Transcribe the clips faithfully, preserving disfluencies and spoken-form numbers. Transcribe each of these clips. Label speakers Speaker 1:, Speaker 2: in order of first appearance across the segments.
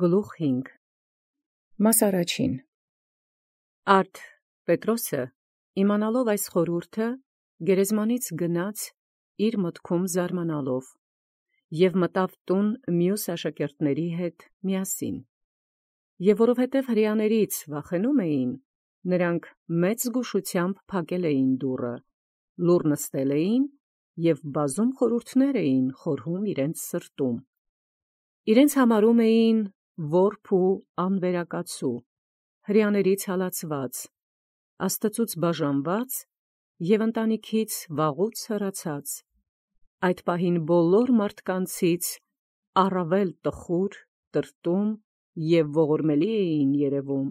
Speaker 1: Գլուխ հինգ Մաս առաջին Արդ Պետրոսը իմանալով այս խորհուրդը գերեզմանից գնաց իր մտքում զարմանալով և մտավ տուն մյուս աշակերտաց հետ միասին։ Եւ որովհետև հրեաներից վախենում էին, նրանք մեծ զգուշությամբ փակել էին դուռը, լուռ նստել էին և բազում խորհուրդներ էին խորհում իրենց սրտում։ Իրենց համարում էին որբ ու անվերակացու, հրեաներից հալածված, Աստծուց բաժանված և ընտանիքից վաղուց հեռացած, այդ պահին բոլոր մարդկանցից առավել տխուր, տրտում և ողորմելի էին երևում,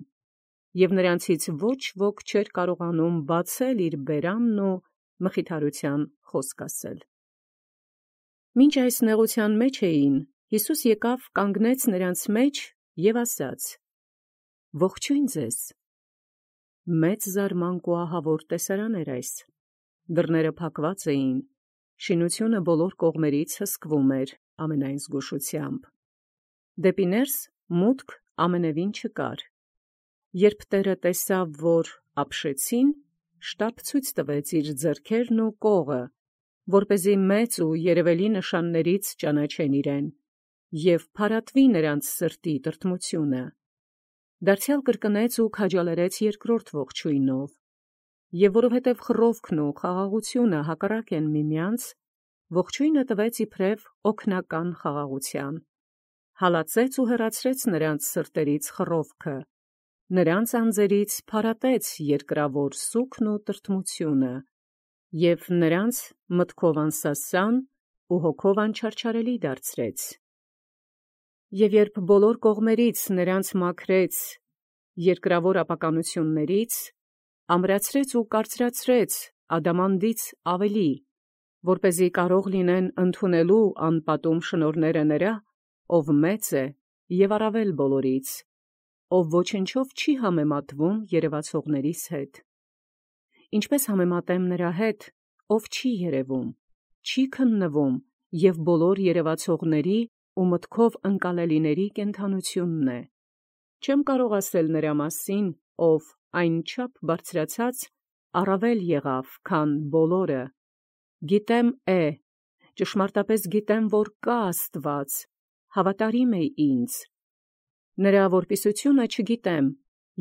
Speaker 1: և նրանցից ոչ ոք չէր կարողանում բացել իր բերանն ու մխիթարության խոսք ասել։ Մինչ այս նեղութեան մեջ էին, Յիսուս եկեալ կանգնեց նրանց մեջ և ասաց. «Ողջոյն ձեզ»։ Մեծ զարմանք ու ահավոր տեսարան էր այս. դռները փակված էին, շինությունը բոլոր կողմերից հսկվում էր ամենայն զգուշությամբ, դեպի ներս մուտք ամենևին չկար։ Երբ Տէրը տեսաւ, որ ապշեցին, շտապ ցույց տվեց իր ձեռքերն ու կողը, որպեսզի մեծ ու երևելի նշաններից ճանաչեն իրեն, և փարատվի նրանց սրտի տրտմությունը։ Դարձեալ կրկնեց ու քաջալերեց երկրորդ ողջոյնով. և որովհետև խռովքն ու խաղաղությունը հակառակ են միմյանց, ողջոյնը տվեց իբրև օգնական խաղաղութեան, հալածեց ու հեռացրեց նրանց սրտերից խռովքը, նրանց անձերից փարատեց երկրաւոր սուգն ու տրտմությունը, և նրանց մտքով անսասան ու հոգով անչարչարելի դարձրեց։ Եւ երբ բոլոր կողմերից նրանց մաքրեց երկրաւոր ապականութիւններից, ամրացրեց ու կարծրացրեց ադամանդից ավելի, որպեսզի կարող լինեն ընդունելու անպատում շնորհները նրա, ով մեծ է և առավել բոլորից, ով ոչնչով չի համեմատվում երևացողաց հետ։ Ինչպէս համեմատեմ նրա հետ, ով չի երևում, չի քննվում և բոլոր երևացողաց ու մտքով ընկալելիցն կենդանութիւնն է։ Չեմ կարող ասել նրա մասին, ով այնչափ բարձրացած առավել եղաւ, քան բոլորը. գիտեմ է, ճշմարտապէս գիտեմ, որ կա Աստուած, հավատարիմ է ինձ։ Նրա որպիսութիւնը չգիտեմ,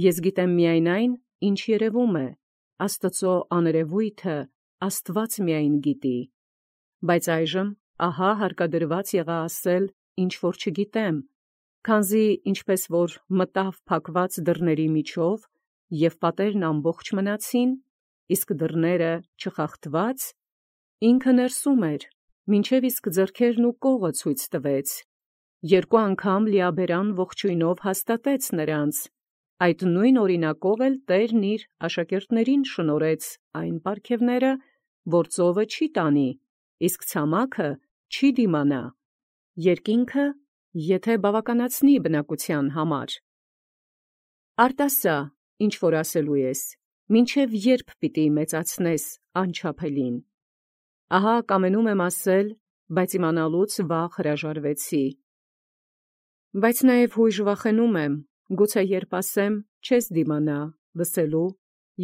Speaker 1: ես գիտեմ միայն այն, ինչ երևում է, Աստուծոյ աներևոյթը Աստուած միայն գիտի։ Բայց այժմ ահա հարկադրված եղա ասել, ինչ որ չգիտեմ, քանզի ինչպէս որ մտաւ փակված դռների միջով, և պատերն ամբողջ մնացին, իսկ դռները չխախտված, ինքն ներսում էր, մինչև իսկ ձեռքերն ու կողը ցույց տվեց, երկու անգամ լիաբերան ողջոյնով հաստատեց նրանց, այդ նույն օրինակով էլ Տէրն իր աշակերտացն շնորհեց այն պարգևները, որ ծովը չի տանի, իսկ ցամաքը չի դիմանա, երկինքը, եթէ բաւականացնի բնակութեան համար։ Արդ ասա, ինչ որ ասելու ես, մինչև ե՞րբ պիտի մեծացնես անչափելին։ Ահա կամենում եմ ասել, բայց իմանալուց վաղ հրաժարեցի։ Բայց նաև յոյժ վախենում եմ, գուցե երբ ասեմ, չես դիմանա լսելու,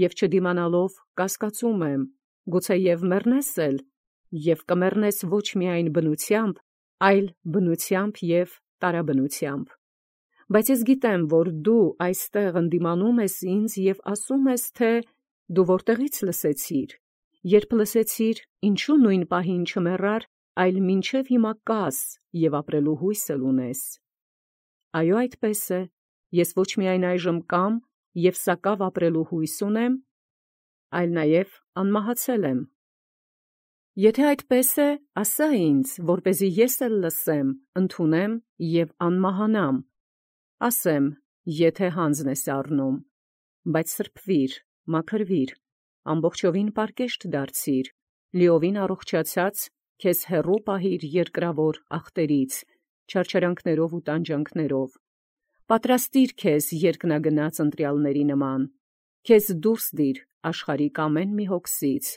Speaker 1: և չդիմանալով կասկածում եմ, գուցե և մեռնես էլ, և կմեռնես ոչ միայն բնութեամբ, այլ բնութեամբ և տարաբնութեամբ։ Բայց ես գիտեմ, որ դու այստեղ ընդդիմանում ես ինձ և ասում ես, թէ «Դու ո՞րտեղից լսեցիր, երբ լսեցիր, ինչու նույն պահին չմեռար, այլ մինչև հիմա կաս և ապրելու հույս ունես»։ Այո, այդպես է, ես ոչ միայն այժմ կամ և սակաւ ապրելու հույս ունեմ, այլ նաև անմահացել եմ։ Եթէ այդպես է, ասա ինձ, որպեսզի ես էլ լսեմ, ընդունեմ և անմահանամ, ասեմ, եթէ հանձն ես առնում, բայց սրբովիր, մաքրվիր, ամբողջովին պարկեշտ դարձիր, լիովին առողջացած քեզ հեռու պահիր երկրաւոր ախտերից, չարչարանքներով ու տանջանքներով, պատրաստիր քեզ երկնագնաց ընտրյալոցի նման, քեզ դուրս դիր աշխարհիկ ամեն մի հոգսից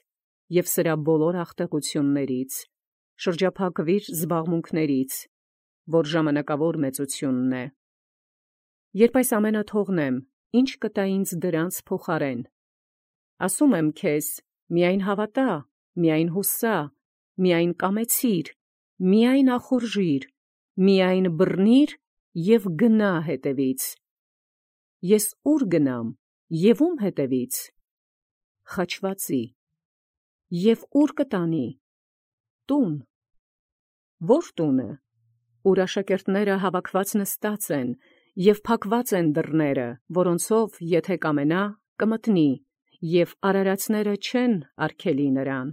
Speaker 1: և սրա բոլոր աղտեղութիւններից, շրջափակվիր զբաղմունքներից, որ ժամանակաւոր մեծութիւնն է, Երբ այս ամենը թողնեմ, ի՞նչ կտա ինձ դրանց փոխարեն։ Ասում եմ քեզ, միայն հավատա, միայն հուսա, միայն կամեցիր, միայն ախորժիր, միայն բռնիր և գնա հետևից։ Ես ուր գնամ և ում հետևից։ Խաչվածի։ Եվ ուր կտանի։ Տուն։ Ո՞ր տունը, ուր աշակերտները հավաքված նստած են, և փակված են դռները, որոնցով եթե կամենա, կմտնի, և արարածները չեն արգելի նրան,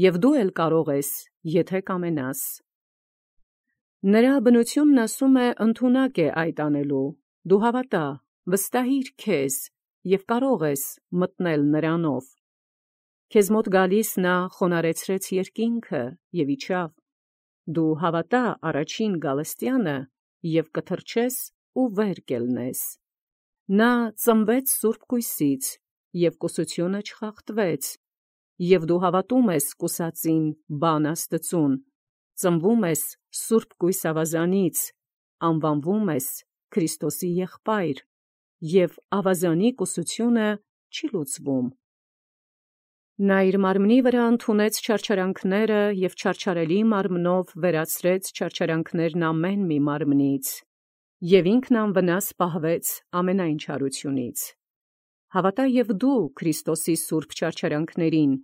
Speaker 1: և դու էլ կարող ես, եթե կամենաս։ Նրա բնությունն ասում է ընդունակ է այդ անելու, դու հավատա, վստահիր քեզ, և կարող ես մտնել նրանով։ Քեզ մոտ գալիս նա խոնարհեցրեց երկինքը և իջավ, դու հավատա առաջին գալստյանը և կթռչես ու վեր կելնես։ Նա ծնվեց սուրբ կույսից, և կուսությունը չխախտվեց, և դու հավատում ես կուսածին բան Աստծուն, ծնվում ես սուրբ կույս ավազանից, անվանվում ես Քրիստոսի եղբայր, և ավազանի կուսությունը չի լուծվում։ Նա իր մարմնի վրա ընդունեց չարչարանքները և չարչարելի մարմնով վերացրեց չարչարանքներն ամեն մի մարմնից, և ինքն անվնաս պահվեց ամենայն չարությունից։ Հավատա և դու Քրիստոսի սուրբ չարչարանքներին,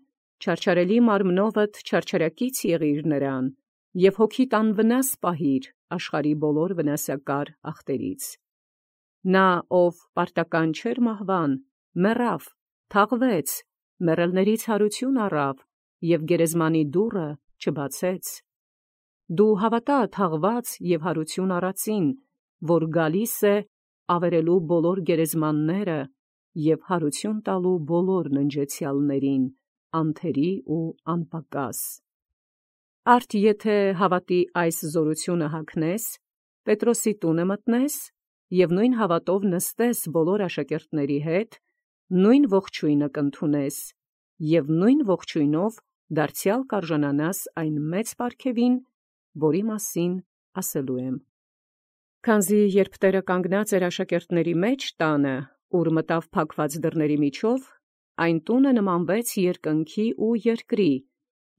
Speaker 1: չարչարելի մարմնովդ չարչարակից եղիր նրան, և հոգիդ անվնաս պահիր աշխարհի բոլոր վնասակար ախտերից։ Նա, ով պարտական չէր մահվան, մեռավ, թաղվեց, մեռելներից հարություն առավ և գերեզմանի դուռը չբացեց։ Դու հավատա թաղված և հարություն առածին, որ գալիս է ավերելու բոլոր գերեզմանները և հարություն տալու բոլոր ննջեցյալներին, անթերի ու անպակաս։ Արդ եթե հավատի այս զորությունը հագնես, Պետրոսի տունը մտնես և նույն հավատով նստես բոլոր աշակերտների հետ, նույն ողջույնը կընդունես և նույն ողջույնով դարձյալ կարժանանաս այն մեծ պարգևին, որի մասին ասելու եմ։ Քանզի երբ Տերը կանգնած էր աշակերտների մեջ տանը, ուր մտավ փակված դռների միջով, այն տունը նմանվեց երկնքի ու երկրի,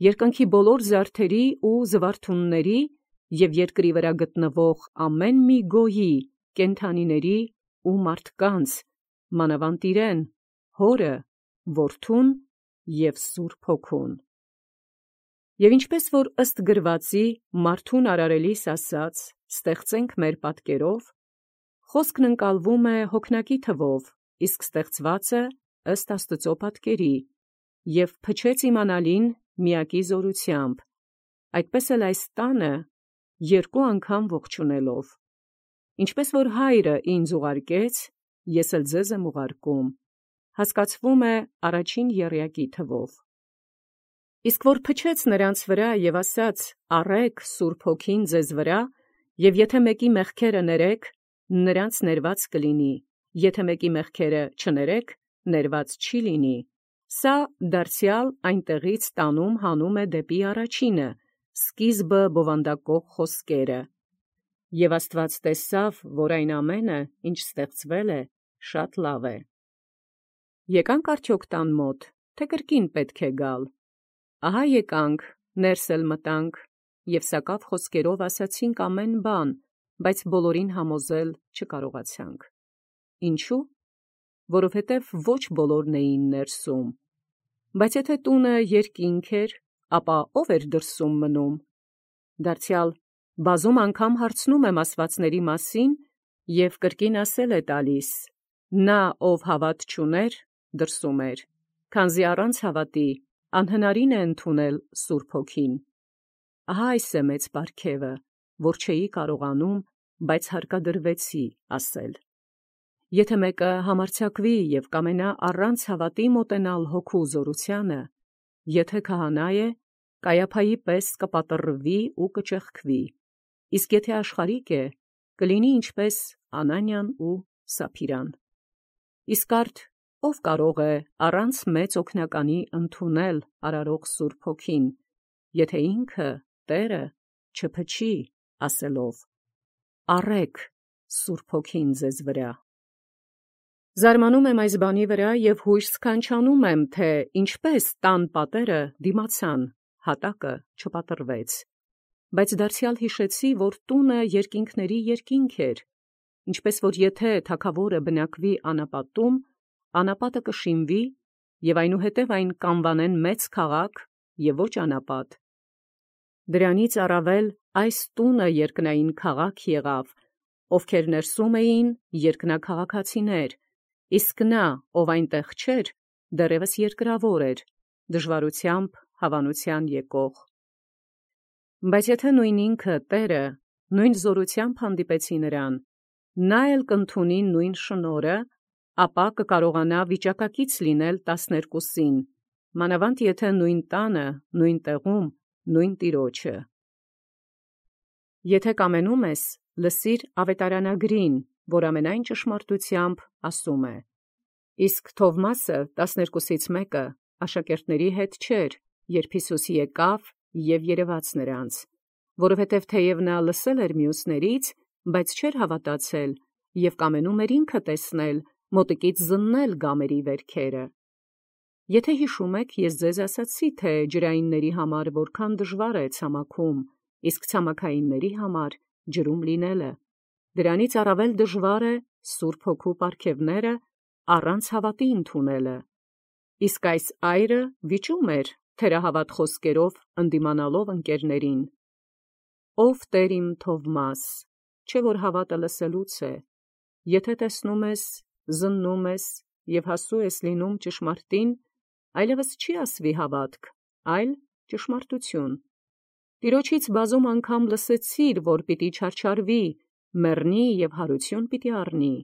Speaker 1: երկնքի բոլոր զարդերի ու զվարթունների և երկրի վրա գտնվող ամեն մի գոյի, կենդանիների ու մարդկանց, մանավանդ իրեն, Հորը, Որդուն և Սուրբ Հոգուն։ Եվ ինչպես որ ըստ գրվածի մարդուն արարելիս ասաց. «Ստեղծենք մեր պատկերով», խոսքն ընկալվում է հոգնակի թվով, իսկ ստեղծվածը ըստ Աստծու պատկերի, և փչեց իմանալին միակի զորությամբ, այդպես էլ այս տանը երկու անգամ ողջունելով. «Ինչպես որ Հայրը ինձ ուղարկեց, ես էլ ձեզ եմ ուղարկում», հասկացվում է առաջին եռյակի թվով։ Իսկ որ փչեց նրանց վրա և ասաց. «Առէք Սուրբ Հոգին ձեզ վրա, և եթե մեկի մեղքերը ներեք, նրանց ներված կլինի, եթե մեկի մեղքերը չներեք, ներված չի լինի», սա դարձյալ այնտեղից տանում հանում է դեպի առաջինը, սկիզբը բովանդակող խոսքերը. «Եվ Աստված տեսավ, որ այն ամենը, ինչ ստեղծվել է, շատ լավ է»։ Եկանք արդյոք տան մոտ, թե կրկին պետք է գալ։ Ահա եկանք, ներս էլ մտանք, և սակավ խոսքերով ասացինք ամեն բան, բայց բոլորին համոզել չկարողացանք։ Ինչո՞ւ։ Որովհետև ոչ բոլորն էին ներսում։ Բայց եթե տունը երկինք էր, ապա ո՞վ էր դրսում մնում։ Դարձյալ բազում անգամ հարցնում եմ ասվածների մասին, և կրկին ասել է տալիս. նա, ով հավատ չուներ, դրսում էր, քանզի առանց հավատի անհնարին է ընդունել Սուրբ Հոգին։ Ահա այս է մեծ պարգևը, որ չէի կարողանում, բայց հարկադրվեցի ասել։ Եթե մեկը համարձակվի և կամենա առանց հավատի մոտենալ հոգու զորությանը, եթե քահանա է, Կայափայի պես կպատռվի ու կճեղքվի, իսկ եթե աշխարհիկ է, կլինի ինչպես Անանյան ու Սափիրան։ Իսկ արդ ո՞վ կարող է առանց մեծ օգնականի ընդունել արարող Սուրբ Հոգին, եթե ինքը՝ Տերը, չփչի ասելով. «Առէք Սուրբ Հոգին ձեզ վրա։ Զարմանում եմ այս բանի վրա և հույս սքանչանում եմ, թե ինչպես տան պատերը դիմացան, հատակը չպատրվեց։ Բայց դարձյալ հիշեցի, որ տունը երկինքների երկինք էր, ինչպես որ եթե թագավորը բնակվի անապատում, անապատը կշիմվի, և այնուհետև այն կանվանեն մեծ քաղաք և ոչ անապատ։ Դրանից առավել այս տունը երկնային քաղաք եղավ, ովքեր ներսում էին երկնաքաղաքացիներ, իսկ նա, ով այնտեղ չէր, դեռևս երկրավոր էր, դժվարությամբ հավանության եկող։ Բայց եթե նույն ինքը Տերը նույն զորությամբ հանդիպեցի նրան, նա էլ կընդունի նույն շնորհը, ապա կկարողանա վիճակակից լինել տասներկուսին, մանավանդ եթե նույն տանը, նույն տեղում, նույն Տիրոջը։ Եթե կամենում ես, լսիր ավետարանագրին, որ ամենայն ճշմարտությամբ ասում է։ Իսկ Թովմասը տասներկուսից մեկը աշակերտների հետ չէր, երբ Հիսուս եկավ և երևաց նրանց, որովհետև թեև նա լսել էր մյուսներից, բայց չէր հավատացել և կամենում էր ինքը տեսնել, մոտիկից զննել գամերի վերքերը։ Եթե հիշում եք, ես ձեզ ասացի, թե ջրայինների համար որքան դժվար է ցամաքում, իսկ ցամաքայինների համար ջրում լինելը, դրանից առավել դժվար է Սուրբ Հոգու պարգևները առանց հավատի ընդունելը։ Իսկ այս այրը վիճում էր թերահավատ խոսքերով ընդդիմանալով ընկերներին. «Ով Տեր իմ Թովմաս, չէ որ հավատը լսելուց է, եթե տեսնում ես, զննում ես և հասու ես լինում ճշմարտին, այլևս չի ասվի հավատք, այլ ճշմարտություն։ Տիրոջից բազում անգամ լսեցիր, որ պիտի չարչարվի, մեռնի և հարություն պիտի առնի։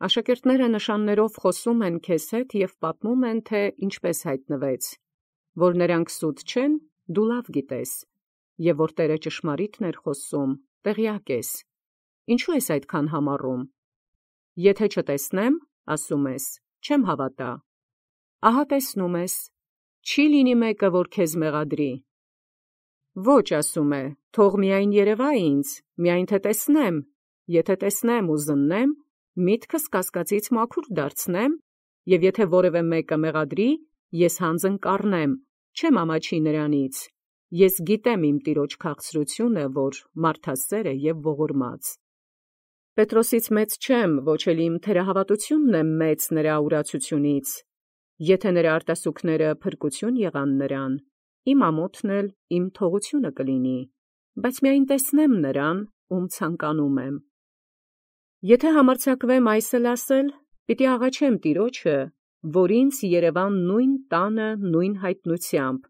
Speaker 1: Աշակերտները նշաններով խոսում են քեզ հետ և պատմում են, թե ինչպես հայտնվեց, որ նրանք սուտ չեն, դու լավ գիտես, և որ Տերը ճշմարիտն էր խոսում, տեղյակ ես, ինչու ես այդքան համառում։ Եթե չտեսնեմ, ասում ես, չեմ հավատա։ Ահա տեսնում ես, չի լինի մեկը, որ քեզ մեղադրի։ Ոչ, ասում է, թող միայն երևա ինձ, միայն թե տեսնեմ, եթե տեսնեմ ու զննեմ, միտքս կասկածից մաքուր դարձնեմ, և եթե որևէ մեկը մեղադրի, ես հանձն կառնեմ, չեմ ամաչի նրանից, ես գիտեմ իմ Տիրոջ քաղցրությունը, որ մարդասեր է և ողորմած։ Պետրոսից մեծ չեմ, ոչ էլ իմ թերահավատությունն է մեծ նրա ուրացությունից, եթե նրա արտասուքները փրկություն եղան նրան, իմ ամոթն էլ իմ թողությունը կլինի, բայց միայն տեսնեմ նրան, ում ցանկանում եմ։ Եթե համարձակվեմ այս էլ ասել, պիտի աղաչեմ Տիրոջը, որ ինձ երևա նույն տանը նույն հայտնությամբ,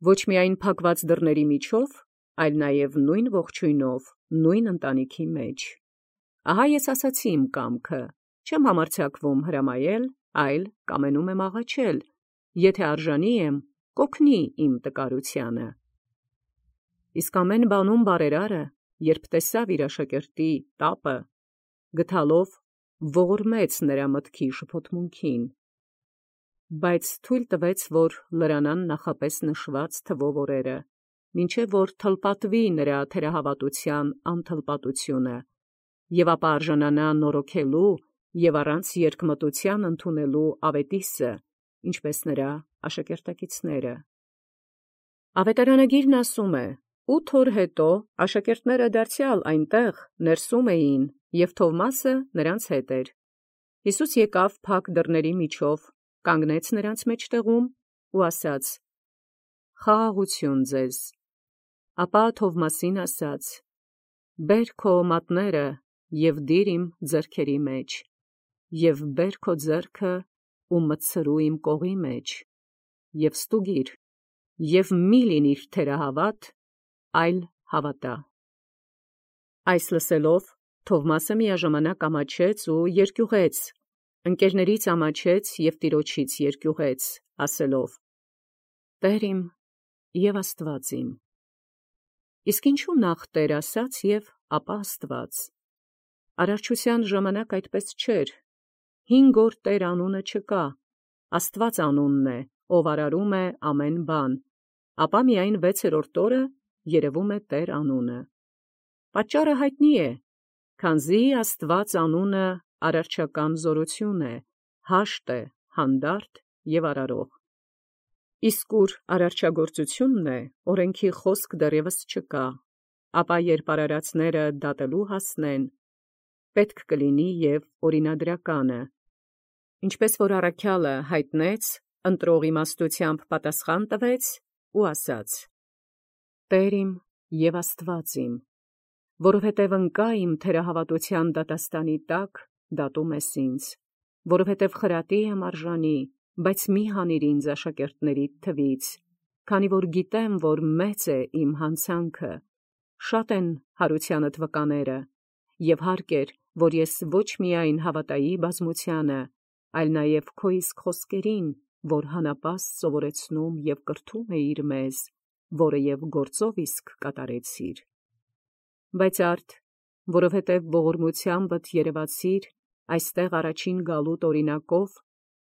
Speaker 1: ոչ միայն փակված դռների միջով, այլ նաև նույն ողջույնով, նույն ընտանիքի մեջ։ Ահա ես ասացի իմ կամքը, չեմ համարձակվում հրամայել, այլ կամենում եմ աղաչել, եթե արժանի եմ, կօգնի իմ տկարությանը։ Իսկ ամեն բանում բարերարը, երբ տեսավ իր աշակերտի տապը, գթալով ողորմեց նրա մտքի շփոթմունքին, բայց թույլ տվեց, որ լրանան նախապես նշված թվով օրերը, մինչև որ թլպատվի նրա թերահավատության անթլպատությունը, և ապա արժանանա նորոգելու և առանց երկմտության ընդունելու ավետիսը, ինչպես նրա աշակերտակիցները։ Ավետարանագիրն ասում է. «Ութ օր հետո աշակերտները դարձյալ այնտեղ ներսում էին, և Թովմասը նրանց հետ էր։ Հիսուս եկավ փակ դռների միջով, կանգնեց նրանց մեջտեղում ու ասաց. «Խաղաղություն ձեզ»։ Ապա Թովմասին ասաց. «Բեր քո մատները և դիր իմ ձեռքերի մեջ, և բեր քո ձեռքը ու մտցրու իմ կողի մեջ, և ստուգիր, և մի՛ լինիր թերահավատ, այլ հավատա»։ Այս լսելով Թովմասը միաժամանակ ամաչեց ու երկյուղեց, ընկերներից ամաչեց և Տիրոջից երկյուղեց, ասելով. «Տեր իմ և Աստված իմ»։ Իսկ ինչու նախ Տեր ասաց և ապա Աստված։ Արարչության ժամանակ այդպես չէր, հինգ օր Տեր անունը չկա, Աստված անունն է, ով արարում է ամեն բան, ապա միայն վեցերորդ օրը երևում է Տեր անունը։ Պատճառը հայտնի է, Քանզի Աստուած անունը արարչական զորություն է, հաշտ է, հանդարտ և արարող։ Իսկ ուր արարչագործությունն է, օրենքի խոսք դեռևս չկա, ապա երբ արարածները դատելու հասնեն, պետք կլինի և օրինադրականը։ Ինչպես որ առաքյալը հայտնեց, ընտրող իմաստությամբ պատասխան տվեց ու ասաց. «Տեր իմ և Աստուած իմ, որովհետև ընկա իմ թերահավատության դատաստանի տակ, դատում ես ինձ, որովհետև խրատի եմ արժանի, բայց մի հանիր ինձ աշակերտներիդ թվից, քանի որ գիտեմ, որ մեծ է իմ հանցանքը, շատ են հարությանդ վկաները, և հարկ էր, որ ես ոչ միայն հավատայի բազմությանը, այլ նաև քո իսկ խոսքերին, որ հանապաստ սովորեցնում և կրթում էիր մեզ, որը և գործով իսկ կատարեցիր։ Բայց արդ, որովհետև ողորմությանդ երևացիր այստեղ առաջին գալուտ օրինակով,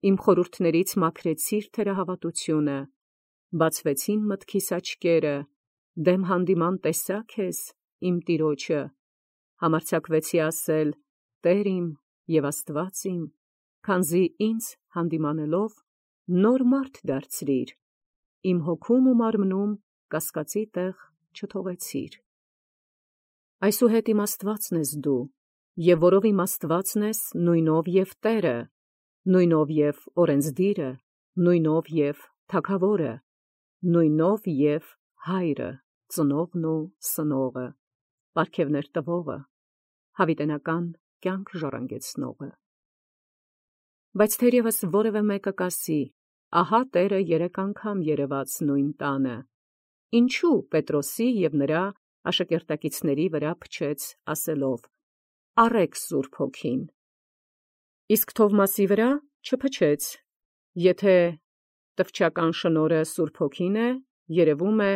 Speaker 1: իմ խորհուրդներից մաքրեցիր թերահավատությունը, բացվեցին մտքիս աչքերը, դեմ հանդիման տեսա քեզ, իմ Տիրոջը, համարձակվեցի ասել. «Տեր իմ և Աստուած իմ», քանզի ինձ հանդիմանելով նոր մարդ դարձրիր, իմ հոգում ու մարմնում կասկածի տեղ չթողեցիր։ Այսուհետ իմ Աստուածն ես դու, և որով իմ Աստուածն ես, նույնով և Տերը, նույնով և օրենսդիրը, նույնով և թագավորը, նույնով և Հայրը, ծնողն ու սնողը, պարգևներ տվողը, հավիտենական կյանք ժառանգեցնողը։ Բայց թերևս որևէ մեկը կասի. «Ահա Տերը երեք անգամ երևաց նույն տանը, ինչու Պետրոսի և նրա աշակերտակիցների վրա փչեց, ասելով. «Առեք Սուրբ Հոգին»։ Իսկ Թովմասի վրա չփչեց։ Եթե տվչական շնորհը Սուրբ Հոգին է, երևում է,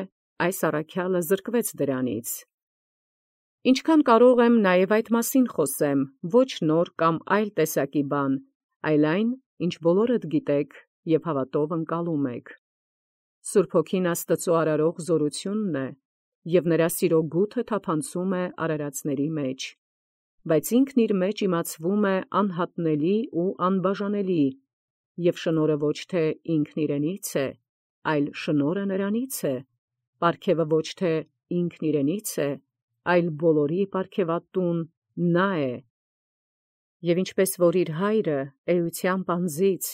Speaker 1: այս առաքյալը զրկվեց դրանից։ Ինչքան կարող եմ նաև այդ մասին խոսեմ, ոչ նոր կամ այլ տեսակի բան, այլ այն, ինչ բոլորդ գիտեք և հավատով ընկալում եք։ Սուրբ Հոգին Աստծու արարող զորությունն է, և նրա սիրո գութը թափանցում է արարածների մեջ, բայց ինքն իր մեջ իմացվում է անհատնելի ու անբաժանելի, և շնորհը ոչ թե ինքն իրենից է, այլ շնորհը նրանից է, պարգևը ոչ թե ինքն իրենից է, այլ բոլորի պարգևատուն նա է։ Եվ ինչպես որ իր Հայրը էությամբ անձից,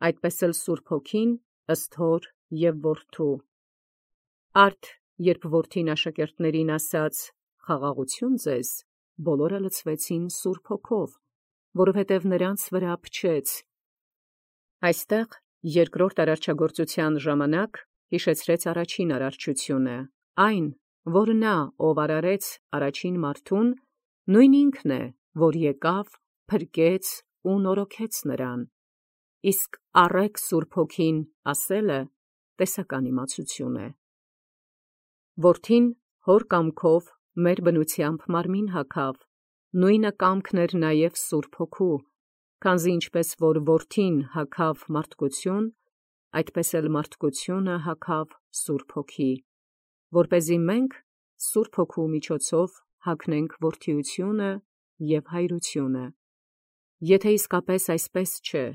Speaker 1: այդպես էլ Սուրբ Հոգին ըստ Հոր և Որդու։ Արդ երբ Որդին աշակերտներին ասաց. «Խաղաղություն ձեզ», բոլորը լցվեցին Սուրբ Հոգով, որովհետև նրանց վրա փչեց։ Այստեղ երկրորդ արարչագործության ժամանակ հիշեցրեց առաջին արարչությունը, այն, որ նա, ով արարեց առաջին մարդուն, նույն ինքն է, որ եկավ, փրկեց ու նորոգեց նրան։ Իսկ «առեք Սուրբ Հոգին» ասելը տեսական իմացություն է։ Որդին հոր կամքով մեր բնությամբ մարմին հագավ, նույնը կամքն էր նաև Սուրբ Հոգու, քանզի ինչպես որ Որդին հագավ մարդկություն, այդպես էլ մարդկությունը հագավ Սուրբ Հոգի, որպեսզի մենք Սուրբ Հոգու միջոցով հագնենք որդիությունը և հայրությունը։ Եթե իսկապես այսպես չէ,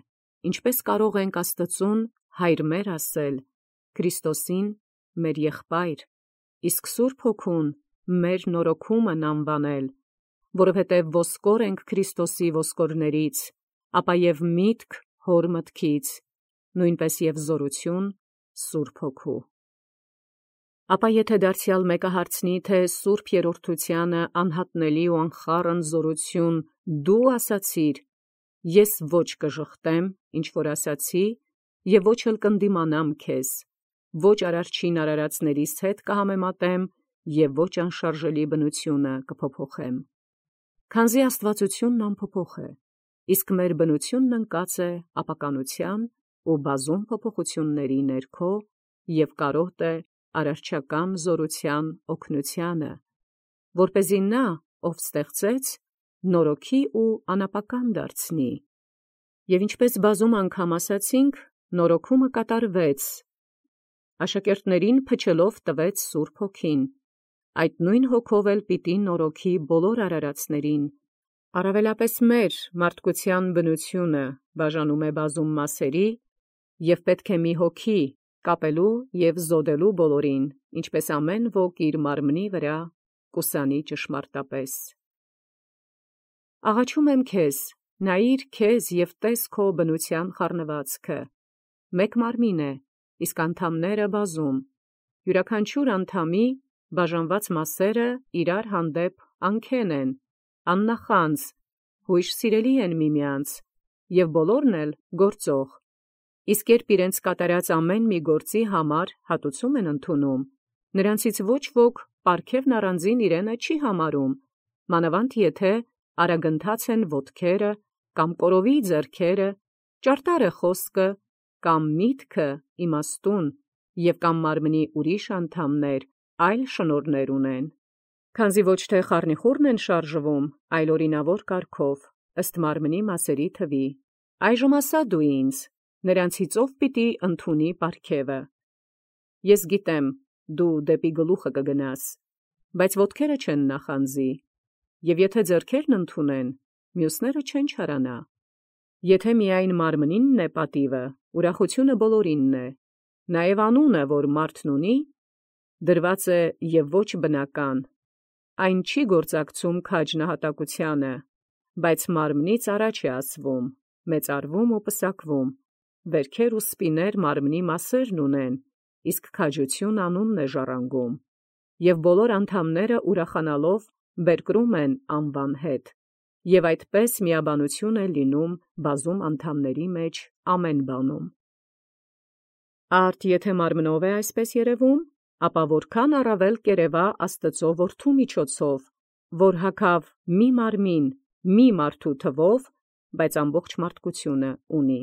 Speaker 1: ինչպե՞ս կարող ենք Աստծուն հայր մեր ասել, Քրիստոսին մեր եղբայր, իսկ Սուրբ Հոգուն մեր նորոգումն անվանել, որովհետև ոսկոր ենք Քրիստոսի ոսկորներից, ապա և միտք Հոր մտքից, նույնպես և զորություն Սուրբ Հոգու։ Ապա եթե դարձյալ մեկը հարցնի, թե Սուրբ Երրորդությանը անհատնելի ու անխառն զորություն դու ասացիր, ես ոչ կժխտեմ, ինչ որ ասացի, և ոչ էլ կընդդիմանամ քեզ, ոչ արարչին արարածներիս հետ կհամեմատեմ և ոչ անշարժելի բնությունը կփոփոխեմ։ Քանզի աստվածությունն անփոփոխ է, իսկ մեր բնությունն ընկած է ապականության ու բազում փոփոխությունների ներքո և կարոտ է արարչական զորության օգնությանը, որպեսզի նա, ով ստեղծեց, նորոգի ու անապական դարձնի։ Եվ ինչպես բազում անգամ ասացինք, նորոգումը կատարվեց, աշակերտներին փչելով տվեց Սուրբ Հոգին, այդ նույն Հոգով էլ պիտի նորոգի բոլոր արարածներին, Առավելապես մեր մարդկության բնությունը բաժանում է բազում մասերի, և պետք է մի հոգի կապելու և զոդելու բոլորին, ինչպես ամեն ոք իր մարմնի վրա կուսանի ճշմարտապես։ Աղաչում եմ քեզ, նայիր քեզ և տես քո բնության խառնվածքը. մեկ մարմին է, իսկ անդամները բազում, յուրաքանչյուր անդամի բաժանված մասերը իրար հանդեպ անքեն են, աննախանձ, հույժ սիրելի են միմյանց, և բոլորն էլ գործող, իսկ երբ իրենց կատարած ամեն մի գործի համար հատուցում են ընդունում, նրանցից ոչ ոք պարգևն առանձին իրենը չի համարում, մանավանդ եթե արագընթաց են ոտքերը, կամ կորովի ձեռքերը, ճարտար է խոսքը, կամ միտքը իմաստուն, և կամ մարմնի ուրիշ անդամներ այլ շնորհներ ունեն։ Քանզի ոչ թե խառնիխուռն են շարժվում, այլ օրինավոր կարգով, ըստ մարմնի մասերի թվի։ Այժմ ասա դու ինձ. նրանցից ո՞վ պիտի ընդունի պարգևը։ Ես գիտեմ, դու դեպի գլուխը կգնաս, բայց ոտքերը չեն նախանձի, և եթե ձեռքերն ընդունեն, մյուսները չեն չարանա։ Եթե միայն մարմնինն է պատիվը, ուրախությունը բոլորինն է, նաև անունը, որ մարդն ունի, դրված է և ոչ բնական, այն չի գործակցում քաջ նահատակությանը, բայց մարմնից առաջ է ասվում, մեծարվում ու պսակվում, վերքեր ու սպիներ մարմնի մասերն ունեն, իսկ քաջություն անունն է ժառանգում, և բոլոր անդամները ուրախանալով բերկրում են անվան հետ, և այդպես միաբանություն է լինում բազում անդամների մեջ ամեն բանում։ Արդ եթե մարմնով է այսպես երևում, ապա որքան առավել կերևա Աստծու Որդու միջոցով, որ հագավ մի մարմին, մի մարդու թվով, բայց ամբողջ մարդկությունը ունի։